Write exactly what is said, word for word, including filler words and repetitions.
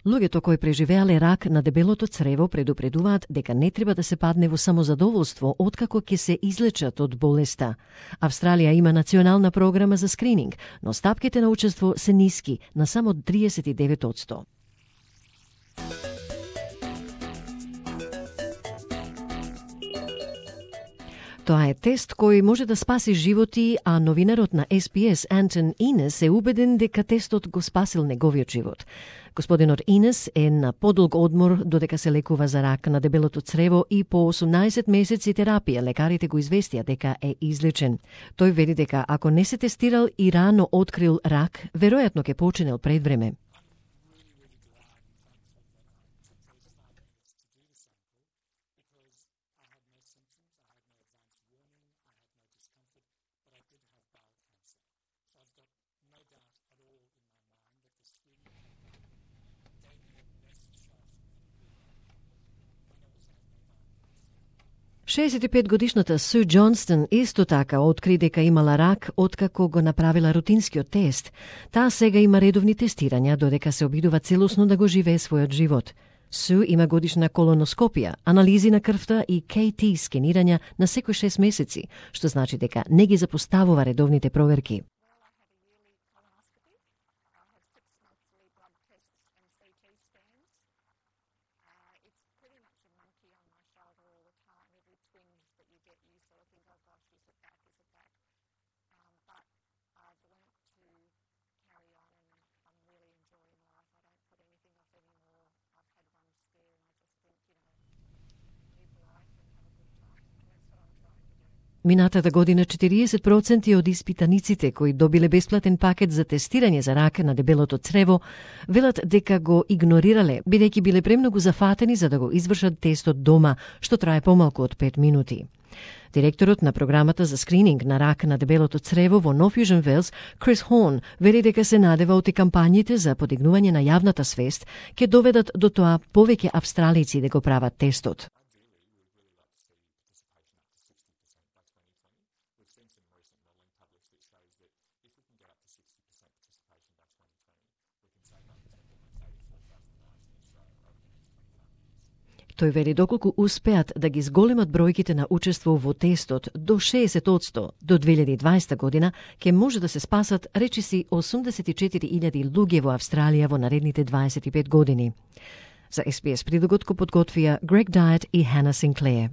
Луѓето кои преживеале рак на дебелото црево предупредуваат дека не треба да се падне во самозадоволство откако ќе се излечат од болеста. Австралија има национална програма за скрининг, но стапките на учество се ниски, на само триесет и девет одсто. Тоа е тест кој може да спаси животи, а новинарот на Ес Би Ес Антон Инес е убеден дека тестот го спасил неговиот живот. Господинот Инес е на подолг одмор додека се лекува за рак на дебелото црево и по осумнаесет месеци терапија лекарите го известија дека е излечен. Тој вели дека ако не се тестирал и рано открил рак, веројатно ќе починел пред време. шеесет и пет годишната Су Џонстон исто така откри дека имала рак откако го направила рутинскиот тест. Таа сега има редовни тестирања додека се обидува целосно да го живее својот живот. Су има годишна колоноскопија, анализи на крвта и Кей Ти скенирања на секој шест месеци, што значи дека не ги запоставува редовните проверки. Минатата година четириесет проценти од испитаниците кои добиле бесплатен пакет за тестирање за рак на дебелото црево велат дека го игнорирале, бидејќи биле премногу зафатени за да го извршат тестот дома, што трае помалку од пет минути. Директорот на програмата за скрининг на рак на дебелото црево во Нов Јужен Велс, Крис Хорн, вели дека се надева оти кампањите за подигнување на јавната свест ќе доведат до тоа повеќе австралици да го прават тестот. Тој вели доколку успеат да ги зголемат бројките на учество во тестот до шеесет одсто до две илјади и дваесета година, ќе може да се спасат речиси осумдесет и четири илјади луѓе во Австралија во наредните дваесет и пет години. За Ес Би Ес прилогот го подготвија Грег Дайет и Хана Синклеер.